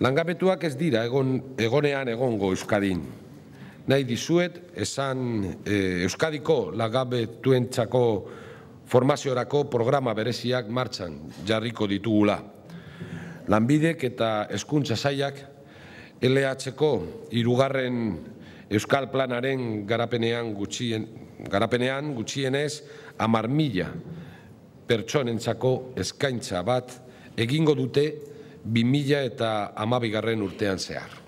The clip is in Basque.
Langabetuak ez dira egonean egongo Euskadin. Nahi dizuet esan Euskadiko langabetuentzako formaziorako programa bereziak martxan jarriko ditugula. Lanbidek eta Hezkuntza Sailak LH-ko 3. Euskal Planaren garapenean gutxienez 10.000 pertsonentzako eskaintza bat egingo dute 2012. urtean zehar.